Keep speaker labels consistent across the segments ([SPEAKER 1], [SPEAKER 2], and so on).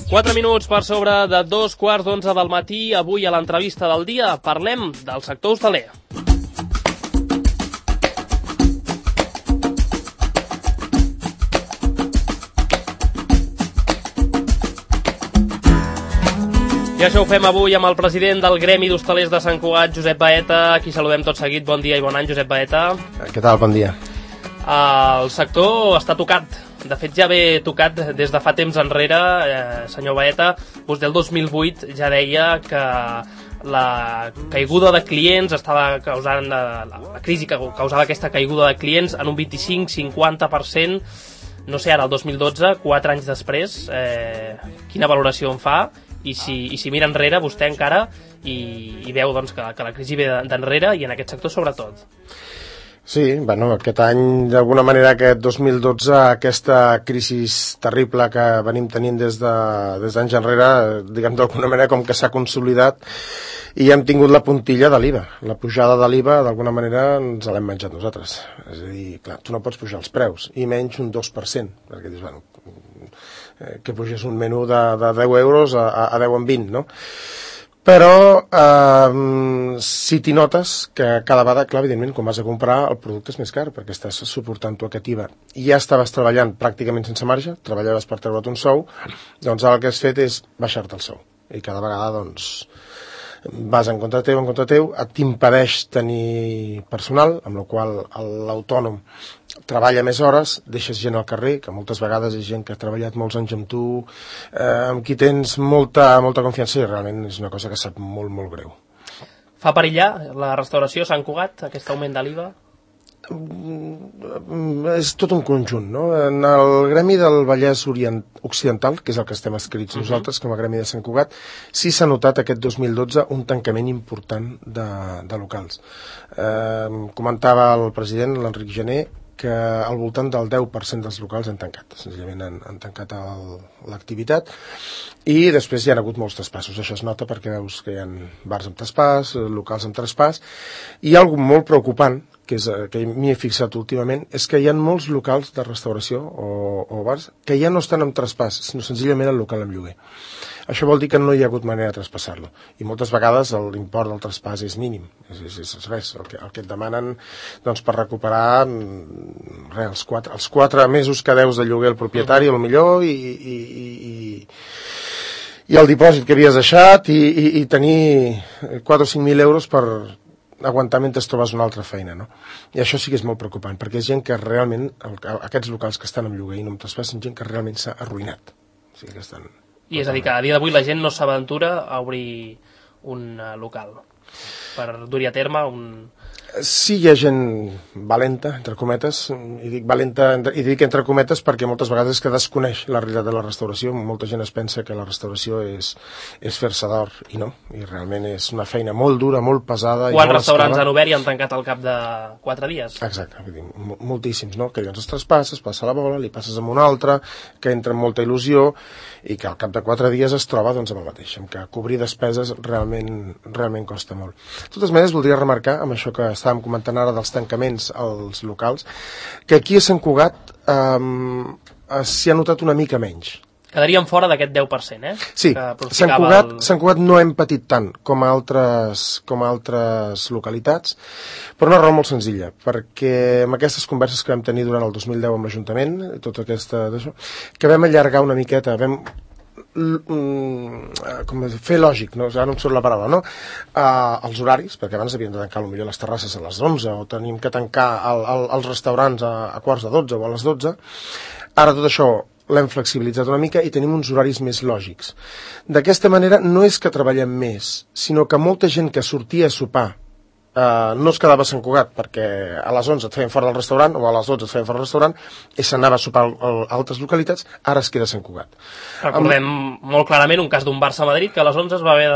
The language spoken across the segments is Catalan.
[SPEAKER 1] 4 minuts per sobre de 2:15 del matí. Avui a l'entrevista del dia parlem del sector hostaler. I això ho fem avui amb el president del Gremi d'Hostalers de Sant Cugat, Josep Baeta, a qui saludem tot seguit. Bon dia i bon any, Josep Baeta.
[SPEAKER 2] Què tal? Bon dia.
[SPEAKER 1] El sector està tocat. De fet, ja ve tocat des de fa temps enrere. Senyor Baeta, vostè el 2008 ja deia que la caiguda de clients estava causant, la crisi que causava aquesta caiguda de clients en un 25-50%. No sé, ara, el 2012, 4 anys després, quina valoració en fa? I si mira enrere, vostè encara, i veu doncs, que la crisi ve d'enrere i en aquest sector sobretot.
[SPEAKER 2] Sí, bueno, aquest any, d'alguna manera, aquest 2012, aquesta crisi terrible que venim tenint des d'anys enrere, diguem d'alguna manera com que s'ha consolidat i hem tingut la puntilla de l'IVA. La pujada de l'IVA, d'alguna manera, ens l'hem menjat nosaltres. És a dir, clar, tu no pots pujar els preus, i menys un 2%, perquè dius, bueno, que pugés un menú de 10 euros a 10 en 20, no? Però si t'hi notes que cada vegada, clar, evidentment, quan vas a comprar el producte és més car perquè estàs suportant tu aquest IVA i ja estaves treballant pràcticament sense marge, treballaves per treure't un sou, doncs ara el que has fet és baixar-te el sou i cada vegada doncs vas en contra teu, t'impedeix tenir personal, amb la qual l'autònom treballa més hores, deixes gent al carrer, que moltes vegades és gent que ha treballat molts anys amb tu, amb qui tens molta confiança, i realment és una cosa que sap molt, molt greu.
[SPEAKER 1] Fa perillar la restauració Sant Cugat, aquest augment de l'IVA?
[SPEAKER 2] És tot un conjunt, no? En el Gremi del Vallès Occidental, que és el que estem escrits nosaltres, com a Gremi de Sant Cugat, sí s'ha notat aquest 2012 un tancament important de locals. Comentava el president, l'Enric Gené, que al voltant del 10% dels locals han tancat, senzillament han tancat l'activitat, i després hi ha hagut molts traspassos. Això es nota perquè veus que hi ha bars amb traspàs, locals amb traspàs, i hi ha alguna molt preocupant, que m'hi he fixat últimament, és que hi ha molts locals de restauració o bars que ja no estan amb traspàs, sinó senzillament el local amb lloguer. Això vol dir que no hi ha hagut manera de traspassar-lo. I moltes vegades l'import del traspàs és mínim. És res. El que et demanen doncs, per recuperar els 4 mesos que deus de lloguer al propietari, potser, i el dipòsit que havies deixat, i tenir 4 o 5.000 euros per aguantar mentre trobes una altra feina, no? I això sí que és molt preocupant, perquè és gent que realment, aquests locals que estan amb lloguer i no amb traspàs, són gent que realment s'ha arruïnat. O sigui que estan...
[SPEAKER 1] I és a dir, que a dia d'avui la gent no s'aventura a obrir un local per dur-hi a terme un...
[SPEAKER 2] Sí, hi ha gent valenta, entre cometes, i dic valenta, i dic entre cometes perquè moltes vegades és que desconeix la realitat de la restauració. Molta gent es pensa que la restauració és fer-se d'or, i no, i realment és una feina molt dura, molt pesada.
[SPEAKER 1] Quants restaurants han obert i han tancat al cap de 4 dies?
[SPEAKER 2] Exacte, vull dir, moltíssims, no? Que llavors es traspasses, passa la bola, li passes amb un altre, que entra amb molta il·lusió, i que al cap de 4 dies es troba doncs, amb el mateix, amb que cobrir despeses realment costa molt. De totes maneres, voldria remarcar, amb això que estàvem comentant ara dels tancaments als locals, que aquí a Sant Cugat s'hi ha notat una mica menys.
[SPEAKER 1] Quedaríem fora d'aquest 10%,
[SPEAKER 2] Sí, Sant Cugat no hem patit tant com altres localitats, per una raó molt senzilla, perquè amb aquestes converses que vam tenir durant el 2010 amb l'Ajuntament, tot d'això, que vam allargar una miqueta, vam fer lògic, no? Ara no em surt la paraula, no? Els horaris, perquè abans havíem de tancar potser les terrasses a les 11 o tenim que tancar els restaurants a quarts de 12 o a les 12. Ara tot això l'hem flexibilitzat una mica i tenim uns horaris més lògics. D'aquesta manera no és que treballem més, sinó que molta gent que sortia a sopar no es quedava a Sant Cugat perquè a les 11 et feien fora del restaurant o a les 12 et feien fora del restaurant i s'anava a sopar a altres localitats, ara es queda a Sant Cugat.
[SPEAKER 1] Recordem molt clarament un cas d'un Barça a Madrid que a les 11 es va haver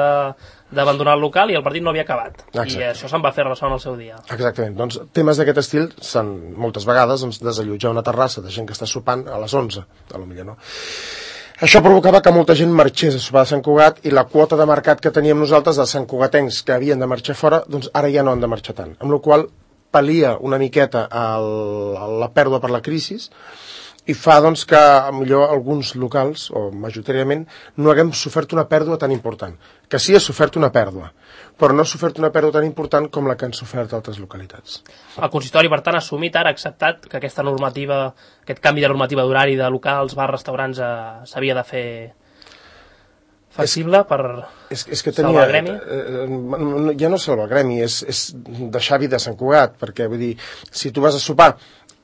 [SPEAKER 1] d'abandonar el local i el partit no havia acabat. Exacte. I això se'n va fer ressò en el seu dia.
[SPEAKER 2] Exactament. Doncs temes d'aquest estil són moltes vegades desallotjar una terrassa de gent que està sopant a les 11, potser no. Això provocava que molta gent marxés a sopar de Sant Cugat i la quota de mercat que teníem nosaltres de santcugatencs que havien de marxar fora, doncs ara ja no han de marxar tant. Amb la qual pal·lia una miqueta la pèrdua per la crisi i fa doncs, que millor alguns locals, o majoritàriament, no haguem sofert una pèrdua tan important. Que sí ha sofert una pèrdua, però no ha sofert una pèrdua tan important com la que han sofert altres localitats.
[SPEAKER 1] El consistori, per tant, ha assumit ara, ha acceptat que aquesta normativa, aquest canvi de normativa d'horari de locals, bars, restaurants, s'havia de fer flexible per salvar el gremi?
[SPEAKER 2] Ja no salvar el gremi, és deixar vida a Sant Cugat, perquè vull dir, si tu vas a sopar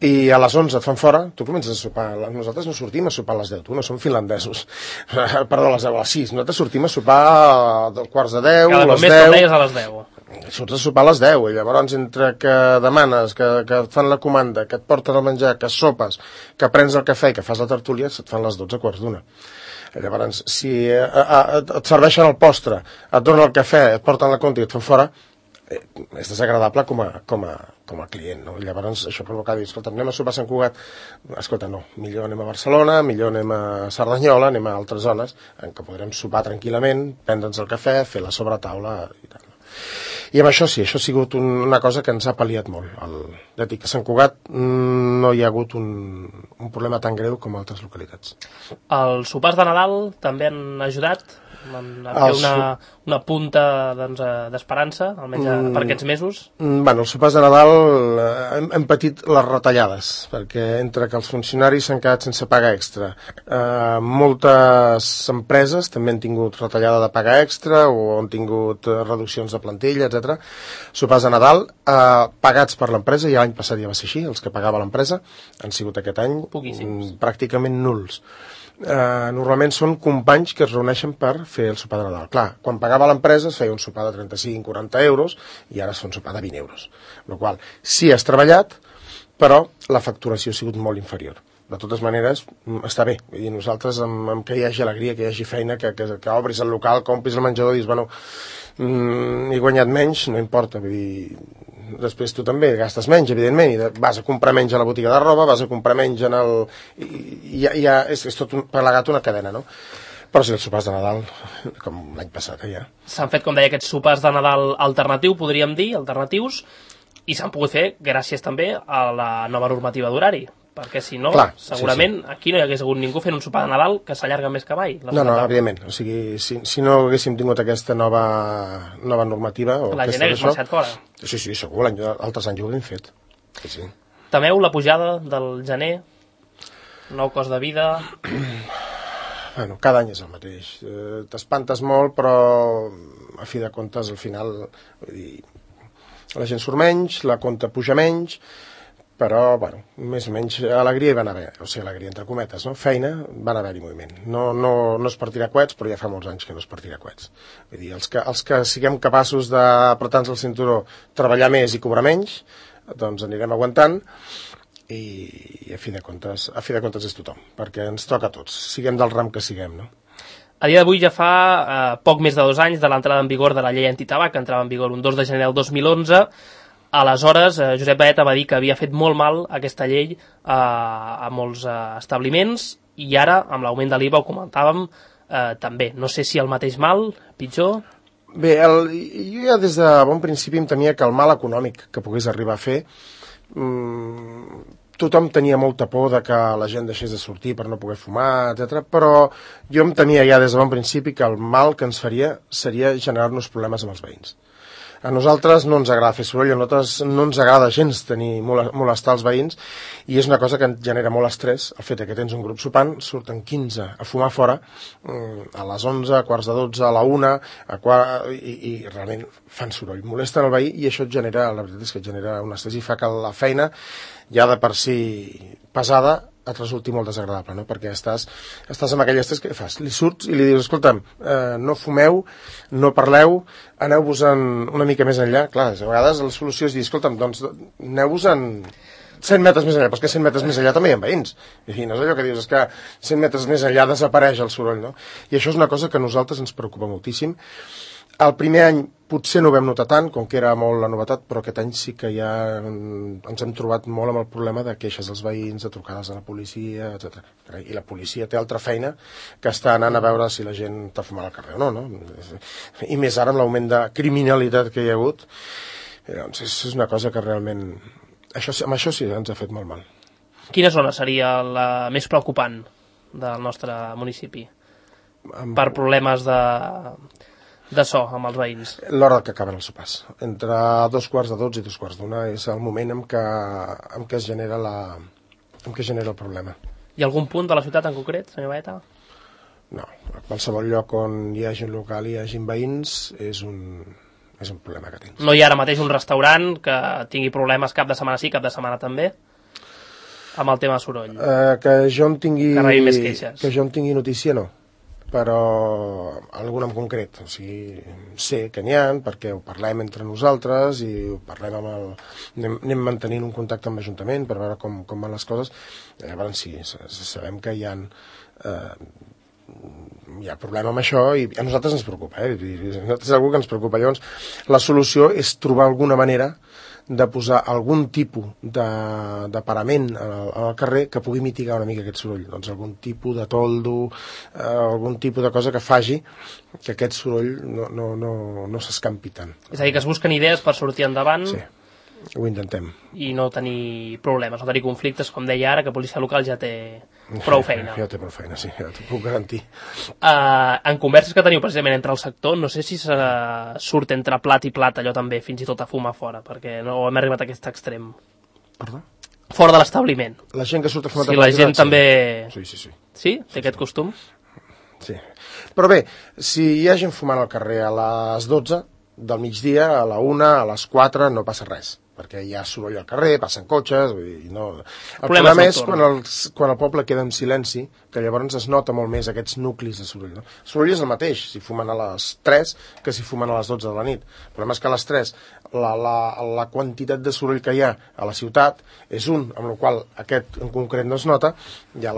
[SPEAKER 2] i a les 11 et fan fora, tu comences a sopar. Nosaltres no sortim a sopar a les 10, tu no som finlandesos. Perdó, a les 10, a les 6. Nosaltres sortim a sopar a quarts de 10, a les 10.
[SPEAKER 1] Cada mes a les 10.
[SPEAKER 2] Surts a sopar a les 10, i llavors entre que demanes, que et fan la comanda, que et porten el menjar, que sopes, que prens el cafè i que fas la tertúlia, se't fan les 12 quarts d'una. Llavors, si et serveixen el postre, et donen el cafè, et porten la compta i et fan fora, és desagradable com a client, no? Llavors això provoca dir, escolta, anem a sopar a Sant Cugat, escolta, no, millor anem a Barcelona, millor anem a Cerdanyola, anem a altres zones en què podrem sopar tranquil·lament, prendre'ns el cafè, fer la sobretaula i tal. I amb això sí, això ha sigut una cosa que ens ha pal·liat molt. Ja dic, a Sant Cugat no hi ha hagut un problema tan greu com a altres localitats.
[SPEAKER 1] Els sopars de Nadal també han ajudat a fer una punta d'esperança, almenys per aquests mesos?
[SPEAKER 2] Bueno, els sopars de Nadal hem patit les retallades, perquè entre que els funcionaris s'han quedat sense paga extra, moltes empreses també han tingut retallada de paga extra o han tingut reduccions de plantilla, etc. Sopars de Nadal pagats per l'empresa, i l'any passat ja va ser així, els que pagava l'empresa han sigut aquest any pràcticament nuls. Normalment són companys que es reuneixen per fer el sopar de Nadal. Clar, quan pagava l'empresa es feia un sopar de 35-40 euros i ara es fa un sopar de 20 euros. Amb la qual cosa, sí has treballat, però la facturació ha sigut molt inferior. De totes maneres, està bé. Vull dir, nosaltres, amb que hi hagi alegria, que hi hagi feina, que obris el local, que omplis el menjador, dius, bueno, he guanyat menys, no importa. Vull dir, després tu també gastes menys, evidentment, i vas a comprar menys a la botiga de roba, vas a comprar menys en el... Ja és tot plegat una cadena, no? Però sí, els sopars de Nadal, com l'any passat, ja.
[SPEAKER 1] S'han fet, com deia, aquests sopars de Nadal alternatius, i s'han pogut fer gràcies també a la nova normativa d'horari, perquè si no, clar, segurament aquí no hi hagués hagut ningú fent un sopar de Nadal que s'allarga més que mai.
[SPEAKER 2] No, evidentment. O sigui, si no haguéssim tingut aquesta nova normativa...
[SPEAKER 1] La gent hagués marxat fora.
[SPEAKER 2] Sí, segur, altres anys ho hem fet. Sí.
[SPEAKER 1] Temeu la pujada del gener? Nou cost de vida?
[SPEAKER 2] Bueno, cada any és el mateix. T'espantes molt, però a fi de comptes, al final, vull dir, la gent surt menys, la compta puja menys, però, bueno, més o menys alegria hi van haver, o sigui, alegria entre cometes, no? Feina, van haver-hi moviment. No es partirà coets, però ja fa molts anys que no es partirà coets. Vull dir, els que siguem capaços d'apretar-nos el cinturó, treballar més i cobrar menys, doncs anirem aguantant, i a fi de comptes és tothom, perquè ens toca a tots, siguem del ram que siguem, no?
[SPEAKER 1] A dia d'avui ja fa poc més de 2 anys de l'entrada en vigor de la llei antitabac, que entrava en vigor un 2 de gener del 2011. Aleshores, Josep Baeta va dir que havia fet molt mal aquesta llei a molts establiments, i ara, amb l'augment de l'IVA, ho comentàvem, també. No sé si el mateix mal, pitjor...
[SPEAKER 2] Bé, jo ja des de bon principi em temia que el mal econòmic que pogués arribar a fer... tothom tenia molta por de que la gent deixés de sortir per no poder fumar, etc. Però jo em temia ja des de bon principi que el mal que ens faria seria generar-nos problemes amb els veïns. A nosaltres no ens agrada fer soroll, a nosaltres no ens agrada gens molestar els veïns, i és una cosa que ens genera molt estrès, el fet que tens un grup sopant, surten 15 a fumar fora, a les 11, a quarts de 12, a la 1, i realment fan soroll, molesten el veí, i això et genera, la veritat és que et genera un estrès i fa que la feina, ja de per si pesada, et resulti molt desagradable, no? Perquè estàs amb aquell estrès que fas, li surts i li dius, escolta'm, no fumeu, no parleu, aneu-vos-en una mica més enllà. Clar, a vegades la solució és dir, escolta'm, doncs aneu-vos-en 100 metres més enllà, però és que 100 metres més enllà també hi ha veïns. I no és allò que dius, és que 100 metres més enllà desapareix el soroll, no? I això és una cosa que a nosaltres ens preocupa moltíssim. El primer any potser no ho vam notar tant, com que era molt la novetat, però aquest any sí que ja ens hem trobat molt amb el problema de queixes dels veïns, de trucades a la policia, etc. I la policia té altra feina que està anant a veure si la gent està fumant al carrer o no? I més ara amb l'augment de criminalitat que hi ha hagut, doncs és una cosa que realment... Amb això sí ens ha fet molt mal.
[SPEAKER 1] Quina zona seria la més preocupant del nostre municipi per problemes de so amb els veïns?
[SPEAKER 2] L'hora que acaben els sopars. Entre 2:45 i 2:45 és el moment en què es genera el problema.
[SPEAKER 1] Hi ha algun punt de la ciutat en concret, senyor Baeta?
[SPEAKER 2] No, a qualsevol lloc on hi hagi un local i hi hagi veïns és un problema que tens.
[SPEAKER 1] No hi ha ara mateix un restaurant que tingui problemes cap de setmana sí, cap de setmana també, amb el tema de soroll?
[SPEAKER 2] Que jo en tingui...
[SPEAKER 1] Que rebin més queixes.
[SPEAKER 2] Que jo en tingui notícia, no. Però algun en concret. O sigui, sé que n'hi ha, perquè ho parlem entre nosaltres i ho parlem anem mantenint un contacte amb l'Ajuntament per veure com van les coses. Llavors sí, sabem que hi ha problema amb això i a nosaltres ens preocupa, és algú que ens preocupa. Llavors, la solució és trobar alguna manera de posar algun tipus de parament al carrer que pugui mitigar una mica aquest soroll. Doncs algun tipus de toldo, algun tipus de cosa que faci que aquest soroll no s'escampi tant.
[SPEAKER 1] És a dir, que es busquen idees per sortir endavant.
[SPEAKER 2] Sí, ho intentem.
[SPEAKER 1] I no tenir problemes, no tenir conflictes, com deia ara, que policia local ja té prou feina.
[SPEAKER 2] Ja té prou feina, sí, ja t'ho puc garantir.
[SPEAKER 1] En converses que teniu precisament entre el sector, no sé si surt entre plat i plat allò també, fins i tot a fumar fora, perquè no hem arribat a aquest extrem.
[SPEAKER 2] Perdó?
[SPEAKER 1] Fora de l'establiment.
[SPEAKER 2] La gent que surt a fumar...
[SPEAKER 1] Si la gent també...
[SPEAKER 2] Sí.
[SPEAKER 1] Sí? Té aquest costum?
[SPEAKER 2] Sí. Però bé, si hi ha gent fumant al carrer a les 12 del migdia, a la 1, a les 4, no passa res, perquè hi ha soroll al carrer, passen cotxes, vull dir, no... El problema és quan el poble queda en silenci, que llavors es nota molt més aquests nuclis de soroll. No? El soroll és el mateix, si fumen a les 3 que si fumen a les 12 de la nit. El problema és que a les 3 la quantitat de soroll que hi ha a la ciutat és amb la qual aquest en concret no es nota, i a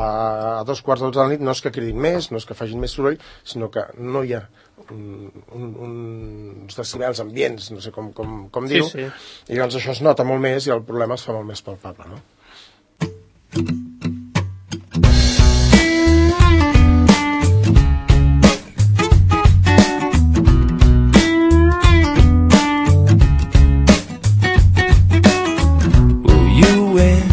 [SPEAKER 2] 2:45 de la nit no és que cridin més, no és que facin més soroll, sinó que no hi ha uns decibels ambients, no sé com dir-ho,
[SPEAKER 1] sí.
[SPEAKER 2] I llavors això es nota molt més i el problema es fa molt més palpable, no?
[SPEAKER 3] Well, you win,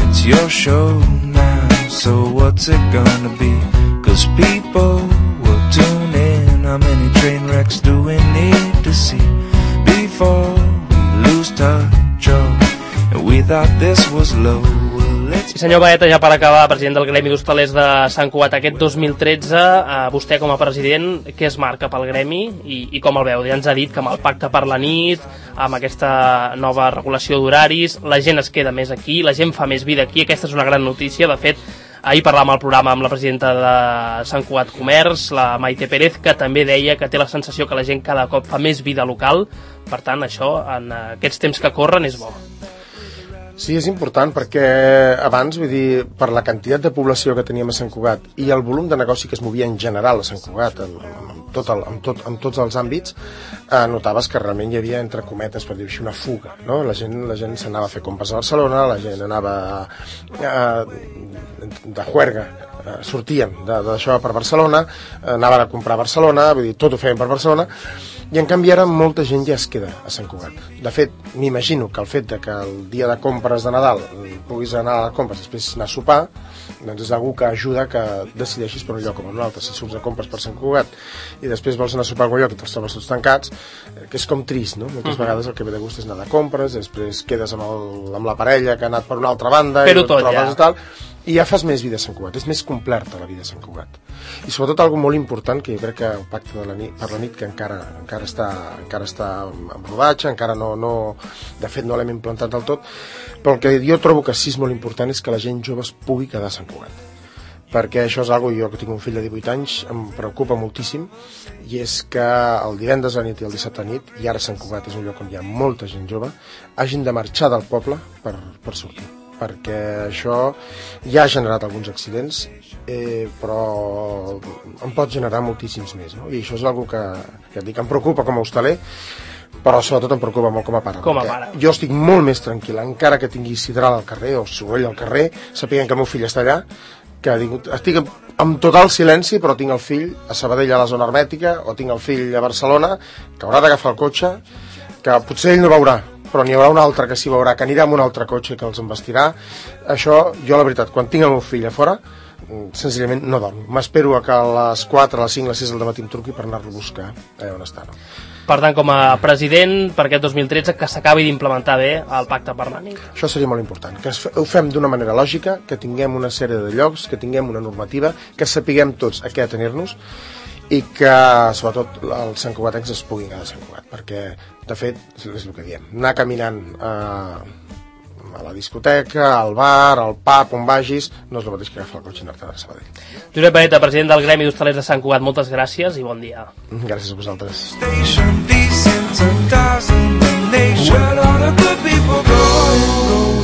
[SPEAKER 3] it's your show now, so what's it gonna be? 'Cause people will tune in. How many train wrecks do we need to see before we lose touch? And we thought this was low.
[SPEAKER 1] I senyor Baeta, ja per acabar, president del Gremi d'Hostalers de Sant Cugat, aquest 2013, vostè com a president, què es marca pel Gremi i com el veu? Ja ens ha dit que amb el pacte per la nit, amb aquesta nova regulació d'horaris, la gent es queda més aquí, la gent fa més vida aquí, aquesta és una gran notícia. De fet, ahir parlàvem al programa amb la presidenta de Sant Cugat Comerç, la Maite Pérez, que també deia que té la sensació que la gent cada cop fa més vida local. Per tant, això, en aquests temps que corren, és bo.
[SPEAKER 2] Sí, és important perquè abans, vull dir, per la quantitat de població que teníem a Sant Cugat i el volum de negoci que es movia en general a Sant Cugat, en tots els àmbits, notaves que realment hi havia, entre cometes, per dir-ho així, una fuga, no? La gent s'anava a fer compres a Barcelona, la gent anava de juerga, sortien d'això per Barcelona, anaven a comprar a Barcelona, vull dir, tot ho feien per Barcelona, i en canvi ara molta gent ja es queda a Sant Cugat. De fet, m'imagino que el fet de que el dia de compres de Nadal puguis anar a les compres i després anar a sopar, doncs és algú que ajuda que decideixis per un lloc o per un altre. Si surts a compres per Sant Cugat i després vols anar a sopar a algun lloc i te'ls trobes tots tancats, que és com trist, no? Moltes vegades el que ve de gust és anar de compres, després quedes amb la parella que ha anat per una altra banda
[SPEAKER 1] però i tot
[SPEAKER 2] trobes i tal, i ja fas més vida a Sant Cugat, és més completa la vida a Sant Cugat. I sobretot algo molt important, que jo crec que el pacte per la nit, que encara està en rodatge, encara no, de fet no l'hem implantat del tot, però el que jo trobo que sí és molt important és que la gent jove es pugui quedar a Sant Cugat, perquè això és algo, jo que tinc un fill de 18 anys, em preocupa moltíssim, i és que el divendres a la nit i el dissabte a nit, i ara Sant Cugat és un lloc on hi ha molta gent jove, hagin de marxar del poble per sortir, perquè això ja ha generat alguns accidents, però en pot generar moltíssims més, no? I això és una cosa que et dic, em preocupa com a hostaler, però sobretot em preocupa molt com a pare. Jo estic molt més tranquil, encara que tingui sidral al carrer o soroll al carrer, sapiguen que el meu fill està allà, que estic amb total silenci, però tinc el fill a Sabadell a la zona hermètica, o tinc el fill a Barcelona, que haurà d'agafar el cotxe, que potser ell no veurà, però n'hi haurà un altre que s'hi veurà, que anirà amb un altre cotxe que els embestirà. Això, jo la veritat, quan tinc el meu fill a fora, senzillament no dormo. M'espero que a les 4, a les 5, a les 6 del matí em truqui per anar-lo a buscar on està. No?
[SPEAKER 1] Per tant, com a president per aquest 2013, que s'acabi d'implementar bé el pacte per la nit.
[SPEAKER 2] Això seria molt important, que ho fem d'una manera lògica, que tinguem una sèrie de llocs, que tinguem una normativa, que sapiguem tots a què atenir-nos i que, sobretot, els santcugatencs es puguin quedar a Sant Cugat, perquè, de fet, és el que diem, anar caminant a la discoteca, al bar, al pub, on vagis, no és el mateix que agafar el cotxe i anar-te'n a Sabadell.
[SPEAKER 1] Josep Baeta, president del Gremi d'Hostalers de Sant Cugat, moltes gràcies i bon dia.
[SPEAKER 2] Gràcies a vosaltres.
[SPEAKER 3] Station, decent, a dozen, the nation, where all the good people go.